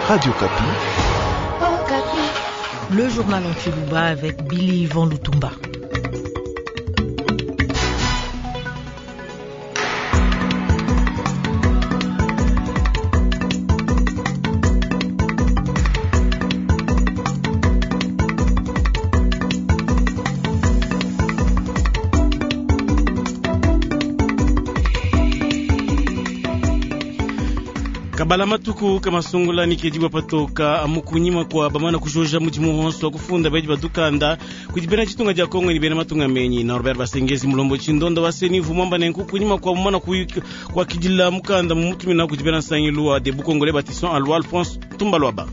Radio Okapi. Le journal en Tshiluba avec Billy Yvon Lutumba. Kabala matuku kamasungula nikedibwa patoka amukunyima kwa bamana kujoja mudimu wonso wa kufunda bedi batukanda kudi bena chitunga dia Kongo ni bena matunga menyi. Norbert Basengezi mulombo chindonda wa senivu mwamba nenku kunyima kwa mumana kwa kidila mukanda mumutumina kudi bena nsangilu wa Debout Congolais Bâtissons Alwa Alphonse Tumbalwaba.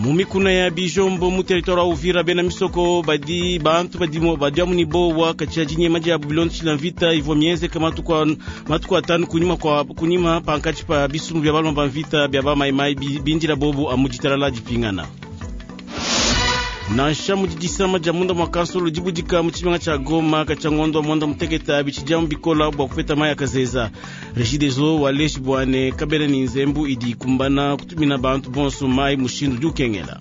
Mumikuna ya Bijombo mu territoire wa Uvira bena misoko badi bantu badi badi amuni bowa katia jinyema dia bilonzi chila mvita ivwa mienzeka matuku atanu kunyima kwa kunyima pankachi pa bisumbu bya balomba mvita bya ba mai mai bindila bobu amujitalala jipingana. Nansha mujidisama dia munda mwa kansolo dibudika mu tshibanga tshia Goma katshia ngondo wa mwanda muteketa bichidiamu bikola bua kupeta mai akazeza. Regideso waleshi bwane kabena ni nzembu idi kumbana kutumina bantu bonso mai mushindu diukengela.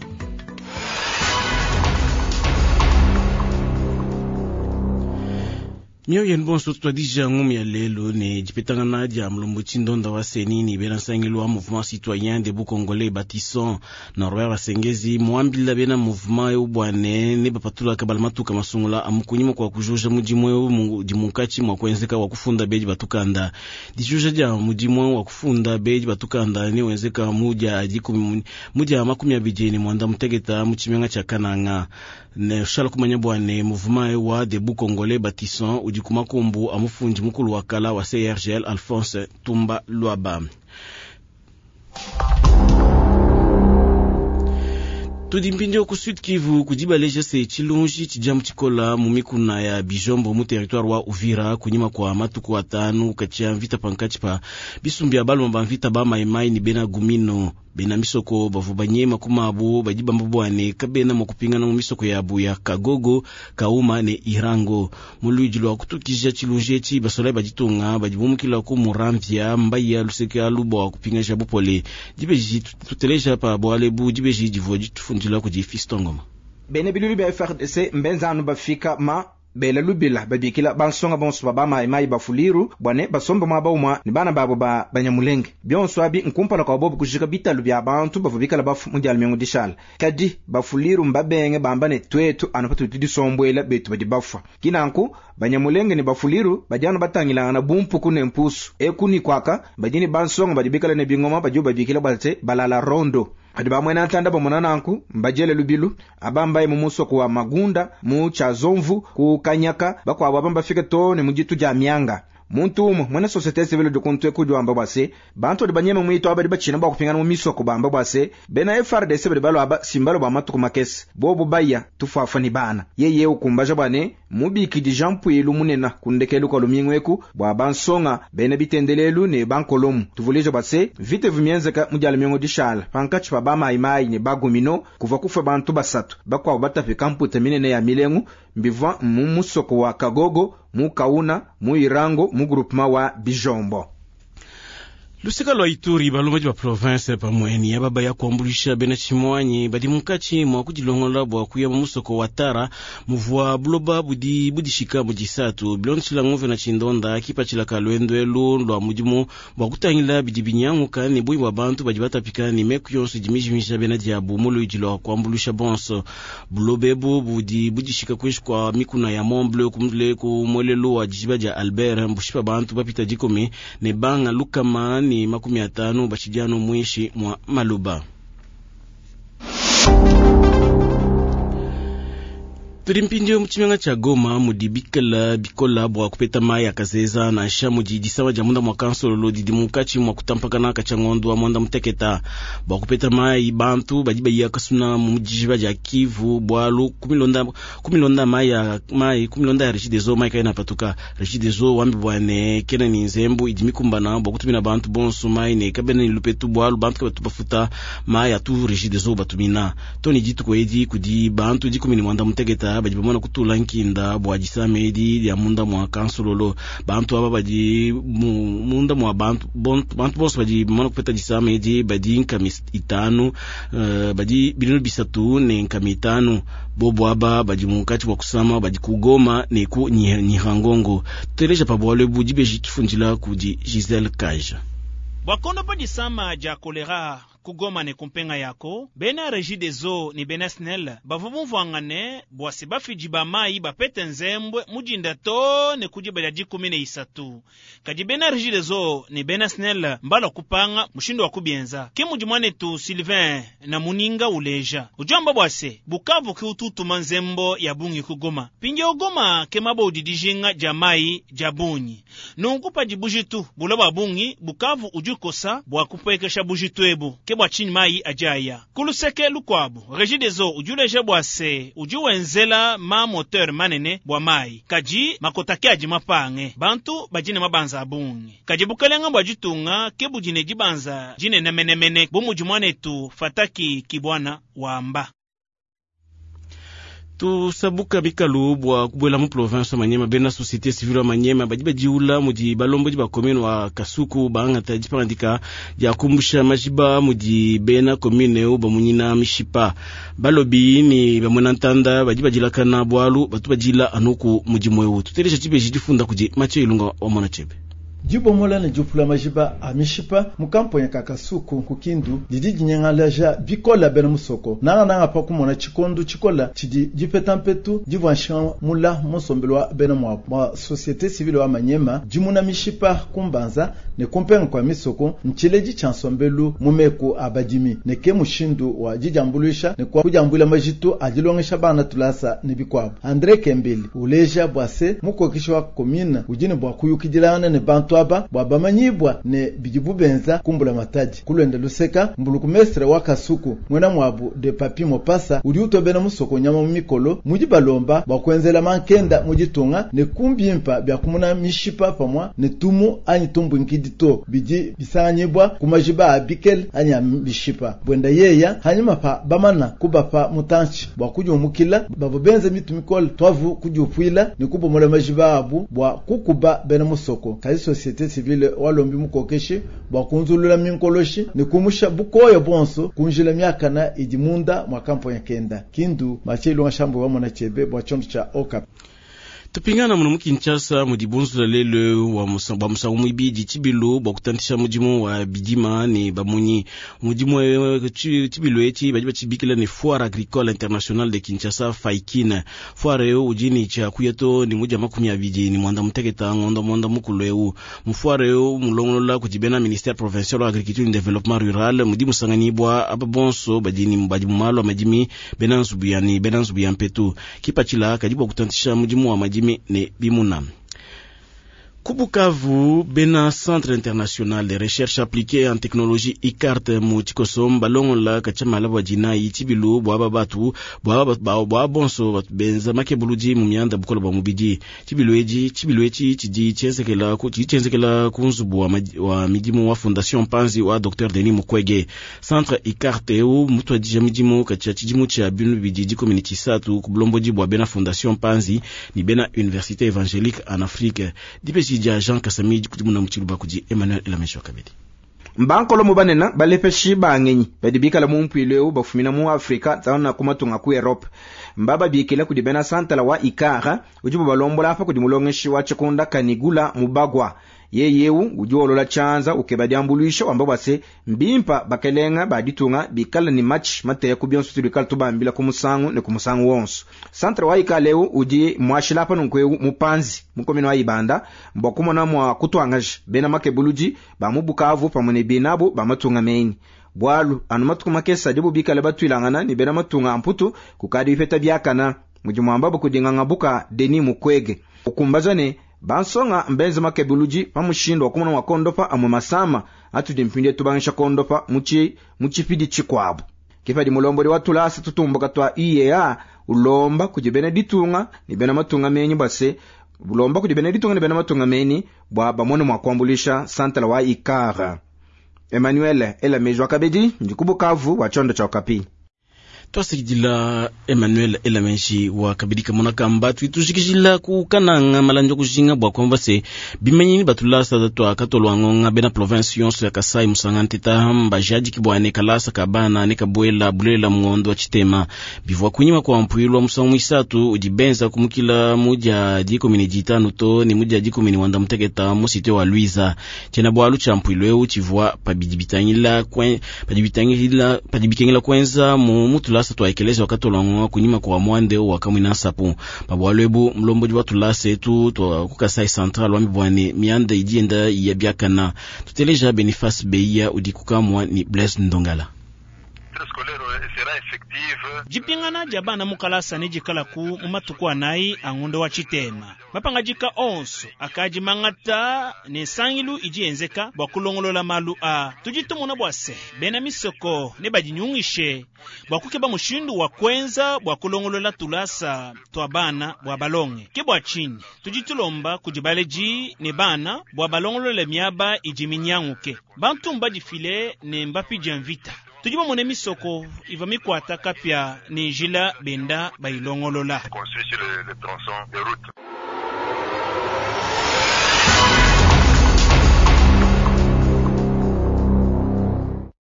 Mioyo yenu bonso tutwadija ngumi ya lelo ne dipetangana dia mulombo tshindonda wa seni ni bena nsangilu wa mouvement citoyen debout congolais bâtissons Norbert Basengezi muambila bena mouvement eu bwane ne bapatula kabala matuka masungula amukunyima kwa kujuja mudimu eu dimunkatshi mwa kuenzeka wa kufunda bedi batukanda. Dijuja dia mudimu wa kufunda bedi batukanda ne wenzeka mudia dikumi mudia 20 ne mwanda muteketa mu tshimenga tshia Kananga. Ne shala kumanya bwane mouvement eu wa debout congolais bâtissons udi kumakumbu amufundi mukulu wa kala wa CRGL Alphonse Tumba Lwaba. Tudi mpindieu ku Sud Kivu kudibaleja se tshilunji tshidiamu tshikola mu mikuna ya Bijombo mu territoire wa Uvira kunyima kwa matuku atanu katshia mvita pankatshi pa bisumbu bya balomba mvita ba maimai ni bena Gumino. Bena misoko bavua banyema kumabu badi bamba bwane kabena mua kupingana mu misoko yabu ya Kagogo, Kauma ne Irango. Mu luidi lua kutukija tshilunji etshi basolayi baditunga badi bumukila ku Muramvya mbayi luseke alu bua kupingaja bupole. Dibeji tuteleja pa bualu dibeji divua ditufundila kudi Fiston Ngoma. Bena bilulu bia FRDC mbenzanu bafika ma bela lubila babikila bansonga bonso ba bamayimayi bafuliru bwane basombe muaba umua ne bana babo ba banyamulenge. Bionso abi nkumpala kwa bobo kujika bitalu bia bantu bavua bikala bafu mu dia lumingu dishala. Kadi bafuliru mbabenge bamba ne twetu anu patudi tudisombuela betu badi bafua. Kinanku banyamulenge ne bafuliru badi anu batangilangana bumpuku ne mpusu. Eku ni kwaka badi ne bansonga badi bikala ne bingoma badi babikila bate balala rondo. Badi bamwena ntanda bamona nanku mbajele lubilu abambaye mu musoko wa Magunda mu Chazomvu ku Kanyaka bakwabo abamba fike to ne mujitu ja mianga. Muntu umwe mwene societe civile de kuntwe kujwamba bwase bantu badi banyema mwito abadi bachina bwa kupingana mu misoko bamba bwase bena FRDC badi balwa aba simbalo ba matuku makese bobo baya tufafa ni bana yeye ukumbaja bwane mubikidi Jean Puilu munena kundekelu kwa lumingweku bwa bansonga bena bitendelelu ne bankolomu tuvuleje bwase vite vimienzeka mu dia lumingu dishala pankachi pa bamayimayi ne bagumino kuva kufa bantu basatu bakwabo batapika mputa minene ya milengu mbivwa mu musoko wa Kagogo mu Kauna mu Irango mu groupement wa Bijombo. Luseka lwa Ituri balombaji ba province pamweni ababa ya kuambulisha bena chimwanyi badi munkatshi mwa kudilongola bua kuya mu musoko wa Tara muvua buloba budi budishika mu disatu bilondeshila nguvena na tshindonda kipatshila ka lwendo lwa mudimu bua kutangila bidi binyanguka ne bui bua bantu badi batapika ne meku yonso idi mijimisha bena diabu mu luidi lwa kuambulisha bonso. Buloba ebu budi budishika kuinshi kwa mikuna ya Mont Bleu kumule ku mwelelu wa dijiba dia Albert mbushipa bantu bapita dikumi ne banga lukama ni 50 bashidiano mwishi mwa maluba. Tudi mpindieu mu tshimenga tshia Goma mudi bikala bikola bua kupeta mai akazeza nansha mudi disawa dia munda mwa kansololo didi munkatshi mwa kutampakana katshia ngondo wa mwanda muteketa. Bua kupeta mai bantu badi bayiya kasuna mu dijiba dia Kivu bualu kumilonda mai ya mai kumilonda ya Regideso mai kaena patuka. Regideso wambi bwane kena ni nzembu idi mikumbana bua kutumina bantu bonso mai ne kabena ni lupetu bualu bantu kabatu bafuta mai atu Regideso batumina. Toni dituku edi kudi bantu 19 Ibanda badi bamona kutula nkinda bua disama edi dia munda mua kansululu. Bantu aba badi munda mua bantu bantu bonso badi bamona kupeta disama edi badi nkami itanu, badi 350. Bobo aba badi munkatshi bua kusama badi ku Goma ne ku Nyiragongo. Tuteleja pa bualu ebu dibeji tufundila kudi Giselle Kaja. Bua kondopa disama dia kolera ku Goma ne kumpenga yako, bena Regideso ne bena SNEL bavua bumvuangane bua se bafidi ba mayi bapete nzembwe mudinda to ne ku diba dia 13. Kadi bena Regideso ne bena SNEL mbalua kupanga mushindu wa kubienza. Ke mudi muanetu Sylvain na muninga uleja. Udi wamba bua se Bukavu ke ututuma nzembo ya bungi ku Goma. Mpindieu Goma ke maba udi dijinga dia mayi dia bungi. Nunku padi bujitu bula bua bungi, Bukavu udi ukosa bua kupuekesha bujitu ebu. Ke bua tshinyi mayi adi aya. Ku luseke lukuabu, Regideso udi uleja bua se udi wenzela ma moteur manene bua mayi. Kadi makota ke adi mapange. Bantu badi ne mabanza a bungi. Kadi bukalenga bua ditunga ke budi ne dibanza dinene menemene bu mudi muanetu Fataki Kibwana wamba. Tusabuka bikalu bua kubuela mu province wa Manyema. Bena société civile wa Manyema badi badiula mudi balombodi ba commune wa Kasuku bangata dipangadika dia kumbusha majiba mudi bena commune eu bamunyina mishipa. Balobi ni bamwena ntanda badi badilakana bualu batu badila anuku mudimu eu. Tuteleja tshibeji difunda kudi Mathieu Ilunga wa Mona Chebe. Dibomola ne diupula majiba a mishipa mu kamponya ka Kasuku ku Kindu didi dinyangalaja bikola bena musoko nangananga pa kumona tshikondo tshikola tshidi dipeta mpetu divua nshinga mula mu nsombelu wa bena muabu. Bua société civile wa Manyema dimuna mishipa kumbanza ne kumpenga kua misoko ntshiledi tshia nsombelu mu meku a badimi ne ke mushindu wa didiambuluisha ne kwa kudiambuila majitu a dilongesha bana tulasa ne bikuabu. Andre Kembeli uleja bua se mukokeshi wa commune udi ne bua kuyukidilangana ne bantu aba bua bamanyibwa ne bidibu benza kumbula matadi. Kulwenda luseka mbuluku mestre wa Kasuku mwena mwabu de Papi Mopasa udi utobena musoko nyama mu mikolo mudi balomba bua kuenzela mankenda mu ditunga ne kumbimpa bya kumuna mishipa pamwa ne tumu anyi tumbunkidi to bidi bisanganyibwa ku majiba a bikele anyi a mishipa. Bwenda yeya hanyuma pa bamana kubapa mutanchi bua kudiumukila bavua benza mitu mikole twavu kudiupuila ne kubomola majiba abu bua kukuba bena musoko. Kazi société civile walombi mukokeshi bua kunzulula minkoloshi ne kumusha bukoya bonso kunjila miakana idi munda mwa kamponya kenda. Kindu Mathieu Ilunga Shambo wa Mona Chebe bua tshiondo tshia Okapi. Tupingana muno mu Kinshasa mudi bunzula lelo wa musangu muibidi tshibilu bua kutantisha mudimu wa bidima ne bamunyi. Mudimu tshibilu etshi badi batshibikila ne Foire Agricole Internationale de Kinshasa FAIKIN. Foire eu udi ne tshia kuya to ne mudia 29 ngondo mwanda mukulu eu. Mu foire eu mulongolola kudi bena ministère provincial wa agriculture et développement rural mudi musanganyibwa aba bonso badi ni badi mu malu a madimi bena nzubu ya ni bena nzubu ya mpetu. Kipatshila kadi bua kutantisha mudimu wa madimi ne bimuna. Kubukavu bena Centre International de Recherche Appliquée en Technologie ICART mu tshikoso balongola kachamala bua dinayi tshibilu bua aba batu bua bonso batu benza makebuludi mu mianda bukola bua mubidi. Tshibilu edi tshibilu etshi tshidi tshienzekela ku tshidi tshienzekela ku nzubu wa midimu wa Fondation Panzi wa Dr Denis Mukwege. Centre ICART eu mutuadija midimu katshia tshidimu tshia 2013 ku bulombodi bua bena Fondation Panzi ni bena Université Évangélique en Afrique. Dipeshi dia Jean Kasami kudimuna mutshiluba kudi Emmanuel Elamesho Kabedi. Mbankolo mu banena balepeshi bangenyi badi bikala mu mpuilu eu bafumina mu Afrika tsana ku matunga ku Europe. Mbaba bikila kudi bena santala wa Ikara udi balombola apa kudi mulongeshi wa tshikunda Kanigula Mubagwa. Yeyeu udi wolola tshianza ukeba diambuluisha wamba bua se mbimpa bakelenga ba ditunga bikala ni match mateya ku bionso tulikala tubambila ku musangu ne ku musangu wonso. Centre wa Ikala eu udi mwashila apa nunku eu mupanzi mukomino wa Ibanda mbwa kumona mwa kutwangaja bena makebuludi ba mu Bukavu pamwe ne binabo ba matunga menyi. Bwalu anu matuku makesa dibu bikala batwilangana ni bena matunga amputu kukadi bipeta byakana mudi mwamba bukudinganga buka Denis Mukwege. Ukumbaza ne bansonga mbenze makebuludi pa mushindu wa kumona mwa amwe masama atudi mpindi tubangisha kondopa muchipidi chikwabu. Kifadi mulombodi wa tulasa tutumbuka twa IEA ulomba kudi bena ditunga ni bena matunga menyi base ulomba kudi bena ditunga ni bena matunga menyi bwa bamone mwa kuambulisha santala wa Ikara. Emmanuel Elamejwa Kabedi ndikubukavu wa chondo cha Okapi. Twasakidila Emmanuel Elamenji wa kabidi kamona kamba twitujikijila ku kananga malandi kujinga bua kwamba se bimanyini batulasa twa katolwa ngonga bena province yonso ya Kasai musanga nteta mbajadiki bwane kalasa kabana ne kabwela bulela mungondo wa chitema bivwa kunyima kwa mpwilwa musangu mwisatu udi benza kumukila muja dikomini ditanu to ni muja dikomini wanda muteketa musite wa Luiza chena bwalu cha mpwilo eu chivwa pabidi bitangila kwen padi bitangila padi bikengela kwenza mu mutulasa twaekeleza wakatolwa kunyima kwa mwande wa kamwina nsapu pabwalu ebu mlombodi wa tulasa etu twa ku Kasai Central wa mibwane mianda idi enda ya biakana tuteleja Boniface Beya udi kukamwa ni Blaise Ndongala. Jipingana ja bana mukalasa ne jikalaku mu matuku anayi angondo wa chitema mapangajika onso akaji mangata ne sangilu idi yenzeka bua kulongolola malu a tudi tumona bua se bena misoko ne badinyungishe bua kukeba mushindu wa kwenza bua kulongolola tulasa tua bana bua balonge ke bua tshinyi tudi tulomba kudi baledi ne bana bua balongolole miaba idi minyanguke bantu mbadifile ne mbapidia mvita tudi bamone misoko iva mikwata kapya ne njila benda bayilongolola.